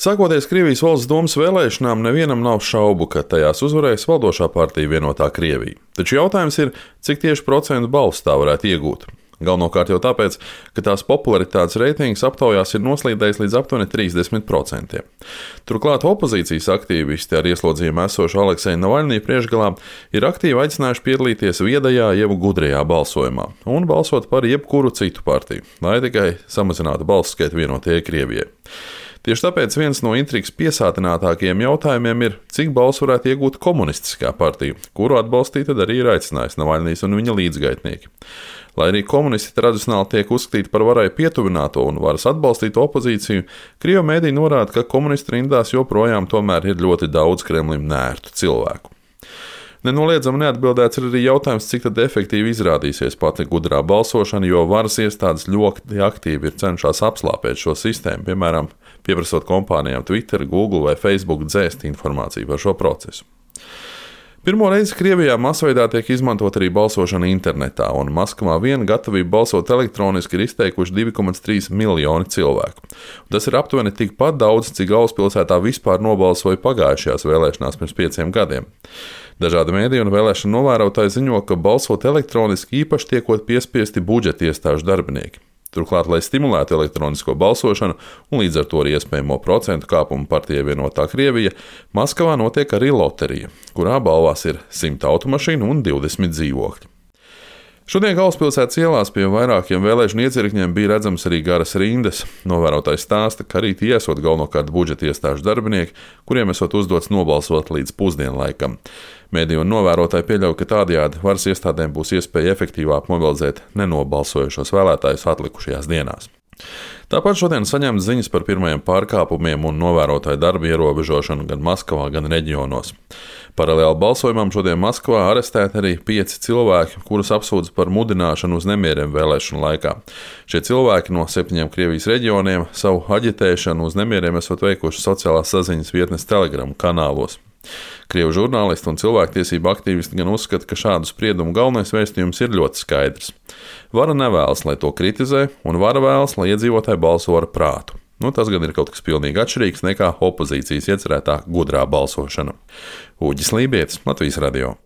Sākoties Krievijas valsts domas vēlēšanām, nevienam nav šaubu, ka tajās uzvarēs valdošā partija Vienotā Krievija. Taču jautājums ir, cik tieši procentu balsu tā varētu iegūt. Galvenokārt jau tāpēc, ka tās popularitātes reitings aptaujās ir noslīdējis līdz aptuveni 30%. Turklāt opozīcijas aktīvisti ar ieslodzījumu esošu Alekseju Navaļnī priekšgalā ir aktīvi aicinājuši piedalīties viedajā jeb gudrajā balsojumā un balsot par jebkuru citu partiju, lai tikai samazinātu balsu skaitu Vienotajai Krievijai. Tieši tāpēc viens no intrigas piesātinātākajiem jautājumiem ir, cik balsu varētu iegūt komunistiskā partija, kuru atbalstīt tad arī ir aicinājis Navaļnīs un viņa līdzgaitnieki. Lai arī komunisti tradicionāli tiek uzskatīti par varai pietuvināto un varas atbalstīto opozīciju, Krievu mēdī norāda, ka komunistu rindās joprojām tomēr ir ļoti daudz Kremlim nērtu cilvēku. Nenoliedzami neatbildēts ir arī jautājums, cik tad efektīvi izrādīsies pati gudrā balsošana, jo varas iestādes ļoti aktīvi ir cenšas apslāpēt šo sistēmu, piemēram, pieprasot kompānijām Twitter, Google vai Facebook dzēst informāciju par šo procesu. Pirmo reizi Krievijā masveidā tiek izmantot arī balsošana internetā, un Maskavā vien gatavību balsot elektroniski ir izteikuši 2,3 miljoni cilvēku. Tas ir aptuveni tikpat daudz, cik galvaspilsētā vispār nobalsoja pagājušajās vēlēšanās pirms 5 gadiem. Dažādi mēdīji un vēlēšanu novērotāji ziņo, ka balsot elektroniski īpaši tiekot piespiesti budžeta iestāžu darbinieki. Turklāt, lai stimulētu elektronisko balsošanu un līdz ar to arī iespējamo procentu kāpumu partijai Vienotā Krievija, Maskavā notiek arī loterija, kurā balvās ir 100 automašīnu un 20 dzīvokļi. Šodien galvaspilsētas ielās pie vairākiem vēlēšanu iecirkņiem bija redzams arī garas rindas. Novērotājs stāsta, ka arī tie esot galvenokārt budžeta iestāžu darbinieki, kuriem esot uzdots nobalsot līdz pusdienlaikam. Mēdīju un novērotāji pieļauj, ka tādējādi varas iestādēm būs iespēja efektīvāk mobilizēt nenobalsojušos vēlētājus atlikušajās dienās. Tāpat šodien saņemts ziņas par pirmajiem pārkāpumiem un novērotāju darbu ierobežošanu gan Maskavā, gan reģionos. Paralēli balsojumam šodien Maskavā arestēti arī 5 cilvēki, kurus apsūdz par mudināšanu uz nemieriem vēlēšanu laikā. Šie cilvēki no 7 Krievijas reģioniem savu aģitēšanu uz nemieriem esot veikuši sociālās saziņas vietnes Telegram kanālos. Krievu žurnālisti un cilvēktiesību aktīvisti gan uzskata, ka šādu spriedumu galvenais vēstījums ir ļoti skaidrs. Vara nevēlas, lai to kritizē, un vara vēlas, lai iedzīvotāji balso ar prātu. Tas gan ir kaut kas pilnīgi atšķirīgs nekā opozīcijas iecerētā gudrā balsošana. Uģis Lībietis, Latvijas radio.